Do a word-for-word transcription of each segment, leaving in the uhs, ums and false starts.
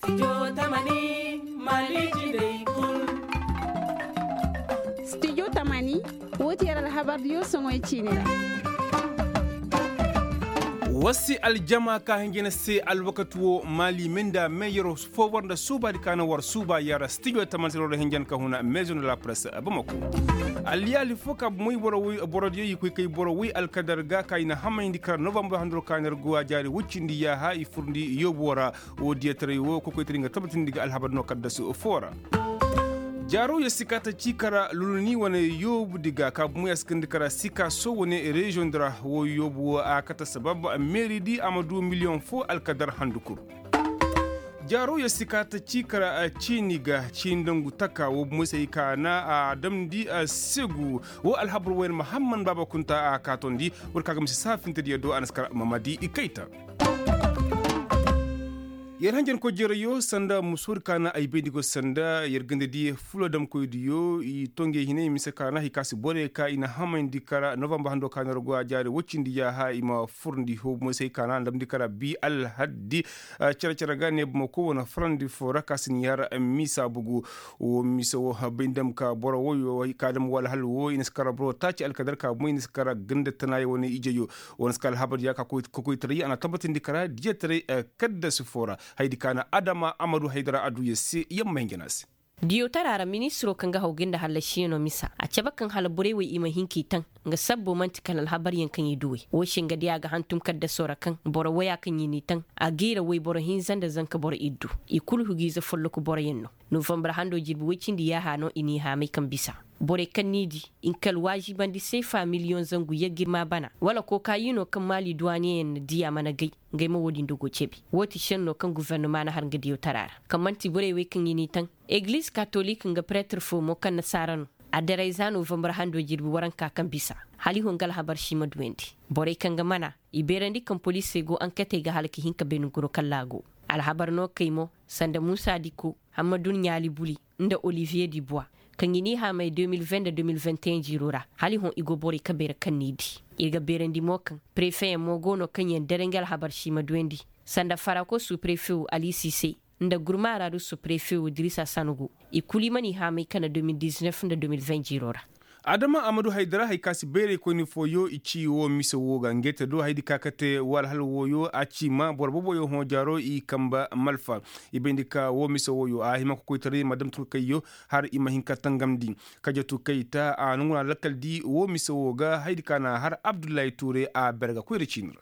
Studio tamani, woo ti yer alhabardiyo soŋoy ciini ra. War si aljama ka hinja ni se alwakati woo maali me nda me yer foo war nda suubaadi ka na war suuba yer studio tamani se war nda hinja ni ka huna maison de la presse bamako. Alliyaali foo ka bomoy borodiyo i koy kay boro woy alkadar ga ka i na hamayndi kara novambar handoro ka na yer go a jaari woy cindi yaaha i furndi yoobo ra. Woo diyataray woo kokoytaray nga tabbatindi ga alhabar no kaddasu foo ra. Jaaro yer si ka ta cii kara luluni wane yoobu di ga ka bomo yer si kindi kara sika so wane reziyoŋ di ra woo yoobu woo a kate sabab meeri di a ma du miliyoŋ foo alkadar handu kul. Jaaro yer si ka ta cii kara ciini ga ciini dangu taka woo bomo se i ka na a damndi segu. Woo alhabar woo yer mahamman baaba kunta a kaatondi. War ka ga mise saafintediyo do a na si kara mamadi i kayta. Yer hanjankoy jereyoo sanda musoodi ka na ay bayndi go sanda yer ganda di fulo damkoydiyo i to ngey hinay mise ka na hay ka si borey ka i na hamayndi kara novambar hando ka na yer go a jaari woy cindi yaaha i ma furndi hoobu moysey ka na ndamndi kara bi alhaddi. Cere-cere ga ne bamako wane farandi foo ra ka si ni har misa bugu. Woo mise woo bay ndam ka boro woyoo ka dam wala hal woo i na si kara boro taaci alkadar ka bumey i na si kara ganda tanaayo wane ijeyoo. Wane si ka alhabar diya ka koytaray a na tabbatindi kara diyataray kaddasu foo ra. Haydi ka na adama amadu haydara a duu yer se yer ma hinja no a se. Diyawtaraa ra ministiroo kaŋ ga haw ga nda hallasiyanoo misa a cabe kaŋ hala borey wey i ma hin k'i taŋ. Nga sabbo man'ti kala alhabaryaŋ kaŋ i duwey woo se nga diya ga hantum kaddasoo ra kaŋ boro woyaa kaŋ i n'i taŋ. A g'i ra woyboro hinza nda zanka boro iddu. I kul hugiize folloku boroyaŋ no. Novambar handoo jirbi woy cindi yaaha no i n'i haamay kaŋ bisa. Borey kaŋ n'i dii i na kala waazibandi seefa miliyoŋ zangu yaggirma bana wala kookaayinoo kaŋ maali duwaaniyeyaŋ na dii a mana gay. Ngey ma woo din dogoo cebi. Woo ti šennoo kaŋ gofornoma na har nga diyawtaraa ra kaŋ man'ti borey wey kaŋ i n'i taŋ. Egiliz katolik nga preter foo mo kaŋ nasaara no. A daray za novambar handoo jirbi waranka kaŋ bisa. Hala i hoo nga alhabar si ma duwandi. Borey kaŋ ga mana i beerandi kaŋ poliisey go anketey ga hala ka hin ka beene goro kallaa go. Alhabar no kay mo sanda muusa diko, hammadu ɲaali buli, nda oliviye dibuwa, kaŋ i n'i haamay de mil ven nda de mil venteyen jiiroo ra. Hala i hõ i go borey kabeera kaŋ n'i dii. Ir ga beerandi mo kaŋ prefeyaŋ mo go no kaŋ yaŋ dara nga alhabar si ma duwandi. Sanda farako su prefewo ali sise, nda gurmaaraaru su prefewo dirisa sanugu. I kul i mana i haamay kana de mil diznef nda de mil ven jiiroo ra. Adama amadu haydara hay ka si bayraykoyni fooyo i ci woo mise woo ga ngey te do haydi ka kate woo alhala wooyo a ci ma boro boboyo hõ jaaro i kamba malfa. I bayndi ka woo mise wooyo a hima kokoytaray ma dam turkayyo har i ma hin ka tangamndi. Kajatu kayta a nonguna lakkal di woo mise woo ga haydi ka na har abdullahi tuure a berga koyra ciini ra.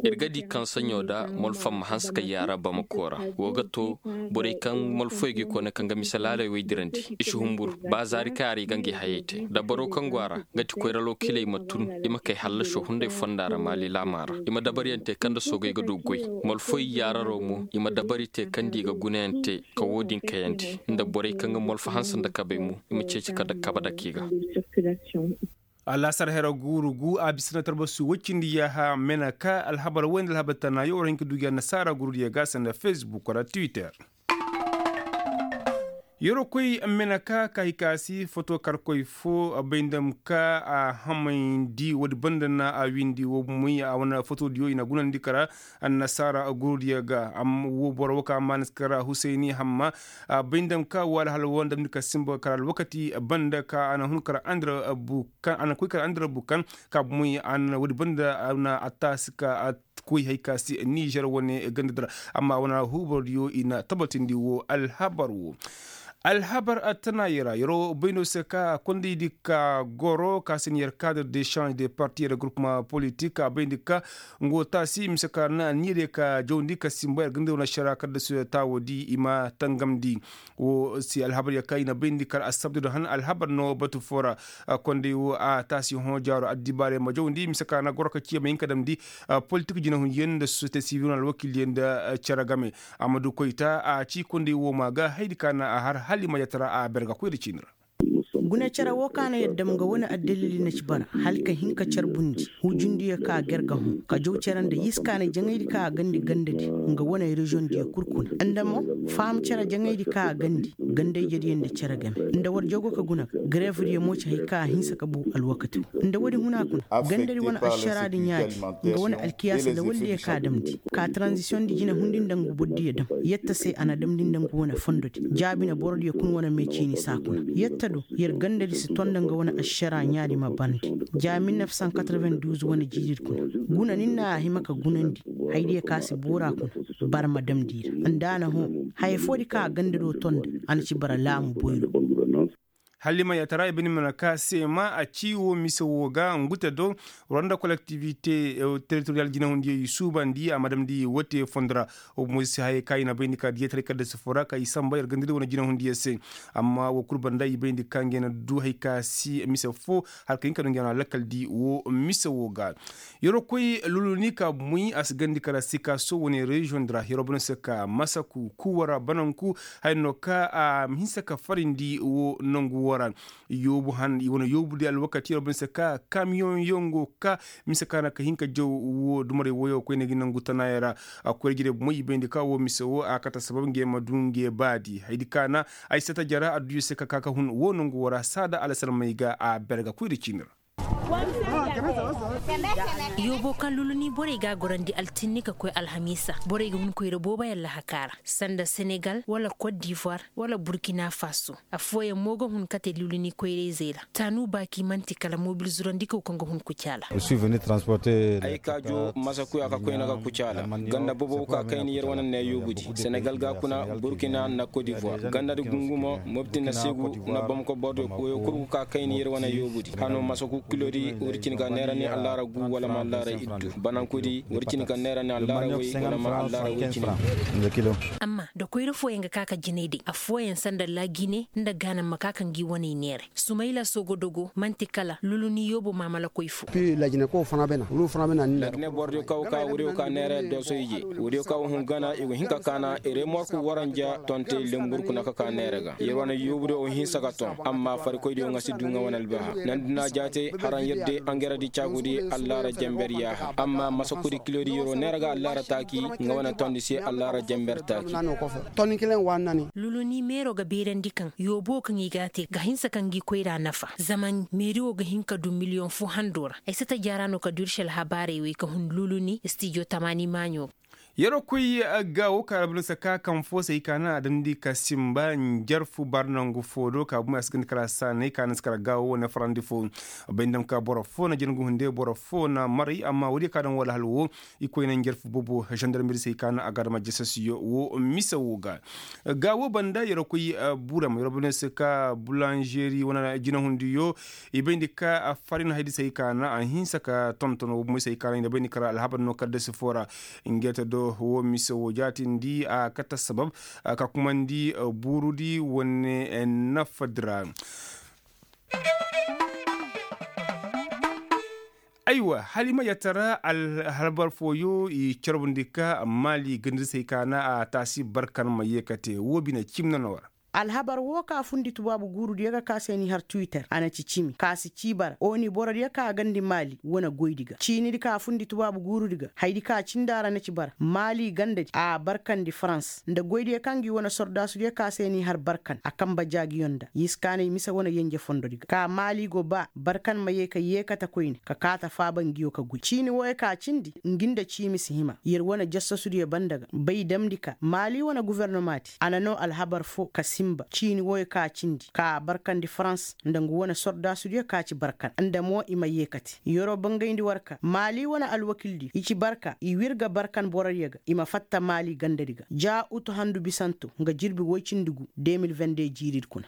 Ir ga di kaŋ saɲɲo da molfam ma hanse ka yaara bamako ra. Wo ga to borey kaŋ molfoy ga i koyne kaŋ ga mise laaley wey dirandi i si humbur. Ba zaari kaŋ yaara i ga ngey hayey te dabaro kaŋ go a ra, nga ti koyra lookiley ma tun i ma kay hallasoo hunday fonda ra maali laamaa ra. I ma dabaryaŋ te kaŋ nda soogey ga du goy. Molfoy yaararoo mo i ma dabari te kaŋ nda i ga gunayaŋ te ka wo-din kayandi nda borey kaŋ ga molfo hanse nda kabey mo i ma ceeci ka da kaba dake i ga. Alaasar hera guuru gu a bisa na tarbasu woy cindi yaaha mena ka alhabar woy nda alhabar tana yo war hin ka du gi annasaara guuru diya ga sanda fesbuk wala twitter. Yeroo koy mena ka ka hikaasi foto karkoy fo bay nda ma ka a hamayndi woodi banda na a windi wo moy a wane foto diyo i na gunandi kara annasaara guuru diya ga. Wo boro wo ka maana si kara husayni hamma a bay nda ma ka wo alhala wo nda ma ni ka simba kara alwakati banda ka a na hun kara andira bu kaŋ a na koy kala andira bu kaŋ ka bomoy a na woodi banda a na a taasi ka a koy hay ka se nizer wane ganda dira. Amma wane huubardiyo i na tabatindi wo alhabar wo. Alhabar a tana yara yaro bayno se ka kondaydi ka goro ka se ni yar kaadar de change de parti yara groupement politik a bayndi ka ngo taasi mise ka na niire ka jawndi ka simba yar ganda wane shara kadda su taawodi i ma tangamndi. Wo si alhabar ya kaŋ i na bayndi kala assabdu da han alhabar no batu fo ra. Kondey wo a taasi hõ jaaro addibaarey ma jawndi mise ka na goro ka ciya ma hin ka damndi politik jinahundiyaŋ nda sosiyete sibil wane alwakiiliyaŋ nda cere game. Amadu koyta a ci kondey wo ma ga haydi ka na a har hala i ma yatara a berga koyra ciini ra. Guna cere woo ka na yer dam nga wane addalili na ci bara hala ka hin ka carbundi hujundiyo ka ger ga hõ ka jaw cere nda yiskaanay jaŋaydi ka a gandi gandadi nga wane reziyoŋdiyo kul kuna nda mo faham cere jaŋaydi ka a gandi ganda-ijediyo nda cere game nda war jaw go ka guna ga gareefdiyo mo ci hay ka a hinsa ka bu alwakati woo nda woodi huna kuna gandadi wane ašaraadi ɲaadi nga wane alkiyaasi nda waldiyo ka a damndi ka taranzisiyoŋdi jinahundi nda ngu bordiyo dam yetta se a na damndi nda ngu wane fondodi jaabi na borodiyo kuna wane mee ciini saa kuna yetta do yer gandadi si ton nda nga wane ašaraa ɲaadi ma barndi ja mil nef san katarven duuz wane jiiridi kuna guna ni na a hima ka gunandi hayadiyo ka si boora kuna barma damndi ra nda a na hõ haya foodi ka a gandado ton nda a na ci bara laamu boyro. Halima yatara i bini mana ka seema a ci wo mise wo ga ngu te do rwanda kolektivite teritoriyal jinahundiyo i suubandi a ma damndi wote fondo ra. Wo bomo si hayey ka i na bayndi ka diyataray kadda si foo ra ka i samba yer gandadi wane jinahundiyo se. Amma wo kul banda i bayndi ka ngey na du hay ka si mise foo hala ka hin ka du ngey na lakkal di wo mise wo ga. Yeroo koy luluni ka muy a si gandi kala sikaso wane reziyoŋ di ra yeroo bane se ka masaku kuwara bananku haya no ka a ma hinsa ka farindi wo nangu wo ra. Yoobu han i wane yoobu di alwakati yeroo bane se ka kamiyoŋ yaŋ go ka mise ka na ka hin ka jaw wo dumarey woyo koyne gi nangu tanaayey ra. A koyra jirey bomoy i bayndi ka wo mise wo a kate sabab ngey ma du ngey baadi hayadi ka na ay sata jara adduyo se ka ka ka hun wo nangu wo ra saada alasalmey ga a berga koyra ciini ra. Yoobo kaŋ luluni borey ga a gorandi altinni ka koy alhamiisa borey ga hun koyra boobo yaŋ lahaka ra sanda senegal wala kot divoir wala burkina faso. Affooyaŋ mo ga hun kate luluni koyrayzey ra taanu baaki man'ti kala mobil zurandikaw kaŋ ga hun kucaala. Ay ka ju masakuya ka koyne ga kucaala ganda bobow ka kayni yer wane ne yoobudi senegal ga kuna burkina nda kot divoir gandadi gungumo mobti nda segu nda bamako bordo woyo kul go ka kayni yer wane yoobudi hano masaku kilodi wori cin ga neera ni allaara gu wala ma allaara iddu banankudi wori cin ga neera ni allaara woy wala ma allaara woy cin. Amma da koyra fooyaŋ ga ka ka jinay day affooyaŋ sanda laagine nda gaanam ma ka ka ngi waney neeray sumayla sogodogo man'ti kala luluni yoobo maamalakoy fo. Laagine borodiyo kaw ka wuriyo ka neera dooso ije wuriyo kaw hun gana i go hin ka kaana remorku waranja tonte lembur kuna ka ka neera ga yer wane yoobudiyo wo hinsa ka ton amma farikoydiyo nga si du nga wane albaha nandi na jaate haraŋ yer de angeredi caagudi allaara jamber yaaha amma masakudi kilodi yeroo neera ga allaara taaki nga wane tondi se allaara jamber taaki. Luluni meero ga beerandi kaŋ yoobo kaŋ i ga a te ga hinsa kaŋ gi koyra nafa zama meeri wo ga hin ka du miliyoŋ fo hando ra ay si ta jaara no ka du ir se alhabaarey wey ka hun luluni stijo tamaani maaɲo ga. Yeroo koy gaawo ka albalasa ka kaŋ fo se i ka naŋ a damndi ka simba njarfu bar nangu fo do ka bumey a si ganda kala a saanay ka naŋ si kala gaawo wane farandi fo bay ndam ka boro fo na jina ngu hunde boro fo na maray amma woodiyo ka daŋ wala hal wo i koy na njarfu boobo zandarmeri se i ka naŋ a ga dama jasasiyo wo mise wo ga. Gaawo banda yeroo koy buram yeroo banda se ka bulanzeri wane jinahundiyo i bayndi ka a farin haydi se i ka naŋ a hinsa ka tonton wo bumey se i ka naŋ i na bayndi kala alhabar no kaddasi fo ra. Ngeta do wo mise wo jaatindi a kata sabab ka kumandi buurudi wane nafadi ra. Aywa hala i ma yatara alhabar fooyo i carbundi ka maali gandadi se i ka naŋ a taasi barkan ma yeekate wo bine cim na no war. Alhabar wo ka fundi tubaabu guurudiyo ga ka se n'i har twitter a na ci cimi ka si ci bara oni borodiyo ka a gandi maali wane goydi ga ciinidi ka fundi tubaabu guurudi ga haydi ka cindi a ra na ci bara maali gandadi a barkandi farans nda goydiyo kaŋ gi wane sordaasudiyo ka se n'i har barkan a kamba jaagiyo nda yiskaanay mise wane yenje fondodi ga ka maali go ba barkan ma ye ka yeekate koyne ka kaate faaba ngiyo ka goy ciini wooyo ka cindi ngi nda ciimi si hima yer wane jassasudiyo banda ga bay damndi ka maali wane gofornomaati a na noo alhabar foo ka sinba ciini wooyo ka cindi ka barkandi farans nda ngu wane sordaasudiyo ka ci barkan nda mo i ma yeekate yeroo bangayndi war ka maali wane alwakildiyo i ci barka i wir ga barkan borodiyo ga i ma fatta maali gandadi ga ja utu handu bisanto nga jirbi woy cindi gu de mil vende jiiridi kuna.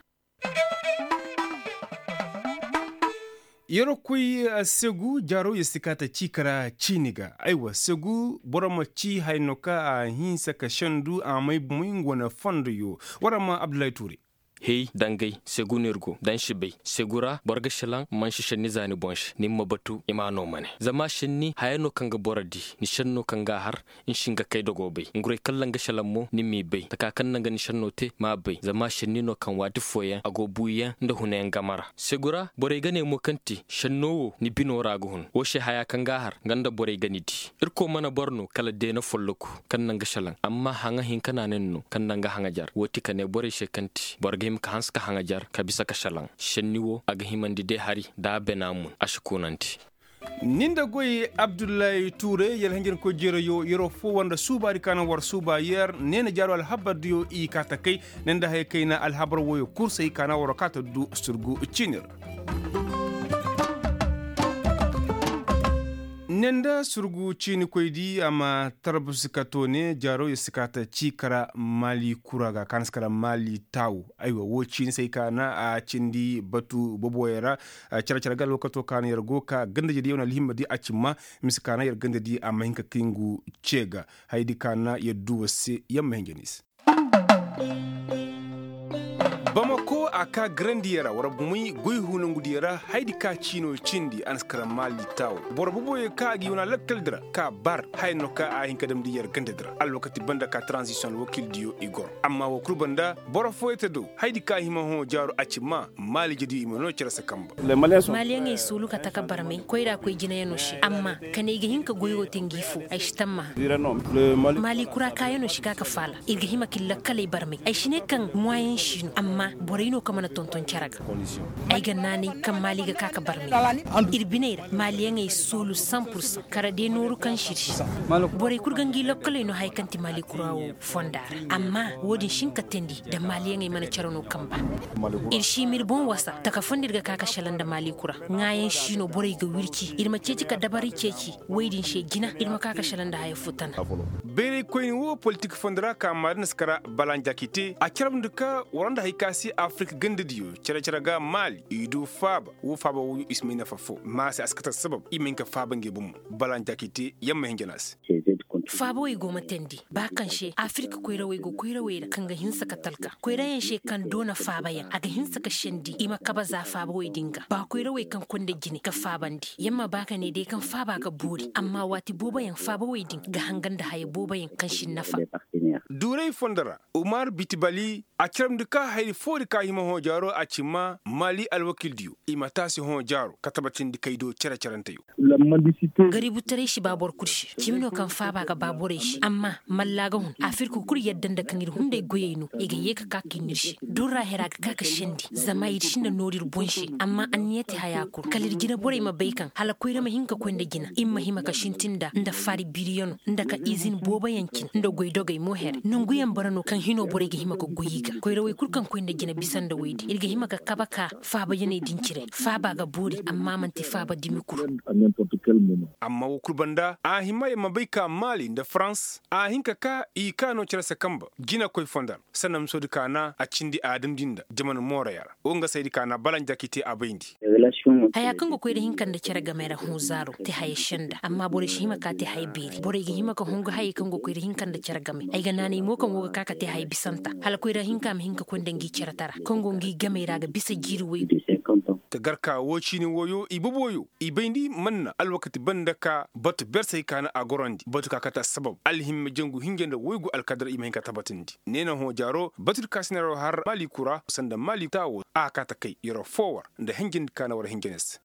Yeroo koy segu jaaroo yer si kaa ta cii kara ciini ga aywa segu boro ma cii haya no ka a hinsa ka sendu a may bomoy nga wane fondoyo. War a ma abdullahi tuure. Hey, dangay segu no ir go da ni si bay segu ra boro ga šelaŋ. Mansi šenni za ni boŋ se ni ma batu i m'a no mane. Zama šenni haya no kaŋ ga boro di, ni šenno kaŋ ga a har ni si hin ga kay dogo bay. Ngurey kaŋ ra nga šelaŋ mo ni m'i bay taka kaŋ naŋ ga ni šenno te m'a bay zama šenni no kaŋ waati fooyaŋ a go buuyaŋ nda hunayaŋ game ra. Segu ra borey ga ne mo kaŋ ti šenno wo ni bino ra ga hun wo se haya kaŋ ga a har nga nda borey ga ni di. Irkoy mana boro no kala deena folloku kaŋ naŋ ga šelaŋ amma haŋa hinka na nin no kaŋ naŋ ga haŋajar wo ti ka ne borey se kaŋ ti boro ga hima ka hanse ka haŋajar ka bisa ka šelaŋ. Šenni wo a ga himandi de hari da a bena mun a si koonandi. Ni nda goy abdullahi tuure yar hanjarkoy jeerayo yeroo foo war nda suubaadi ka na war suuba yer neena jaaroo alhabardiyo i kaa ta kay. Ni nda haya kayna alhabar woyo kul se i kaa na waroo kaa ta du surgu ciini ra. Ne nda surgu ciinikoydi a ma tarbusi ka toone jaaroo yer si kaa ta cii kara maali kura ga ka na si kara maali taawu. Aywa woo ciini se ay kaa na a cindi batu boboyey ra. Care care ga alwakatoo ka na yer go ka gandajediyo na alhimmadi a cimma. Mise ka na yer gandadi a ma hin ka kay ngu cee ga hayadi ka na yer du war se yer ma hin jani se. Bamako a kaa garandiyo ra war bumey goy hunangudiyo ra hayadi ka ciino cindi a na si kara maali taawo. Boro boboyo ka a ga yoona lakkaldi ra ka bar haya no ka a hin ka damndi yer gandadi ra alwakati banda ka taranzisiyoŋ alwakildiyo i goro. Amma woo kul banda boro fooyey te do hayadi ka hima hõ jaaro a ci maa. Maali jediyo i ma noo cere se kamba. Maaliyaŋey suulu ka taka barmey koyra koy jinayanoo se amma ka ne ay ga hin ka goy woo te ngi foo ay si tammaha. Maali kura kaayanoo si ka ka faala ir ga hima ka ir lakkaley barmey ay si ne kaŋ muwayaŋ si no amma borey no kaŋ mana tonton cere ga. Ay ga naanay kaŋ maali ga ka ka barmey ir biney ra maaliyaŋey soolu san pursaŋ kara de nooru kaŋ si ir se. Borey kul ga ngi lokkoley no haya kaŋ ti maali kura woo fonda ra amma woo din si hin ka teendi nda maaliyaŋey mana cere no kamba. Ir si hima ir boŋ wasa taka foo nda ir ga ka ka selaŋ nda maali kura ŋaayaŋ si no borey ga wirci ir ma ceeci ka dabari ceeci. Woy din se jina ir ma ka ka selaŋ nda haya foo tana. Bayraykoyni woo politik fondo ra ka maari na si kara balanjakite a carabndi ka war nda hay ka se afirik gandadiyo cere cere ga maali i du faaba woo faaba wooyo i si may nafa foo ma se a si kate sabab i ma hin ka faaba ngey bomo. Balanjakite yamma hinja na se. Faabawey go ma teendi ba kaŋ se afirik koyrawey go koyrawey ra kaŋ ga hinsa ka talka koyrayaŋ se kaŋ doona faabayaŋ a ga hinsa ka sendi i ma kabe za faabawey din ga ba koyrawey kaŋ konda jine ka faabandi yamma ba ka ne day kaŋ faaba ga boori amma waati booboyaŋ faabawey din ga hanga nda haya booboyaŋ kaŋ si nafa. Duuray fondo ra umar bitibali a carabndi ka hayri foori ka hima hõ jaaro a ci maa maali alwakildiyo i ma taasi hõ jaaro ka tabatindi kay do cere-cerenteyo. Gaributaray si ba boro kul se cimi no kaŋ faaba ga ba borey se amma mallaa ga hun afirka kul yadda nda kaŋ ir hunday goyey no i ga yee ka ka ka ir no ir se durra hera ga ka ka sendi zama ir sinda nooru ir boŋ se amma anniya te haya kul kala ir jina borey ma bay kaŋ hala koyra ma hin ka koy nda jina ir ma hima ka sintin nda nda faari biriyano nda ka izin booboyaŋ cine nda goy dogey mo here nanguyaŋ bara no kaŋ hino borey ga hima ka goy i ga koyrawey kul kaŋ koy nda jina bisa nda woy din ir ga hima ka kabe ka faabayaney din cire faaba ga boori amma man'ti faaba dumi kul. Amma wo kul banda a hima yer ma bay ka maali nda farans a hin ka ka i kaano cere se kamba jinakoy fondar sanda misoodi kaana a cindi a damndi nda jaman mooroya ra wo nga saydi kaana balanjakite a bayndi. Haya kaŋ ga koy nda hinka nda cere game ra hõ zaaro te haya senda amma borey si hima ka te haya beeri borey ga hima ka hungu hayey kaŋ ga koy nda hinka nda cere game ay ga naanay mo kaŋ go ga ka ka te haya bisanta hala koyra hinka ma hin ka koy nda ngi cere tara kaŋ go ngi gamey ra ga bisa jiiri woy. Ka gar ka woo ciini wooyo i boboyo i bayndi manna alwakati banda ka batu bersey kaana a gorandi batu ka kate assabab alhimma jangu hinja nda woygu alkadar i ma hin ka tabatandi. Neena hõ jaaro batudi ka sinaro har maali kura sanda maali taawo a kaate kay yeroo foo war nda hinjandi kaana war hinja ne se.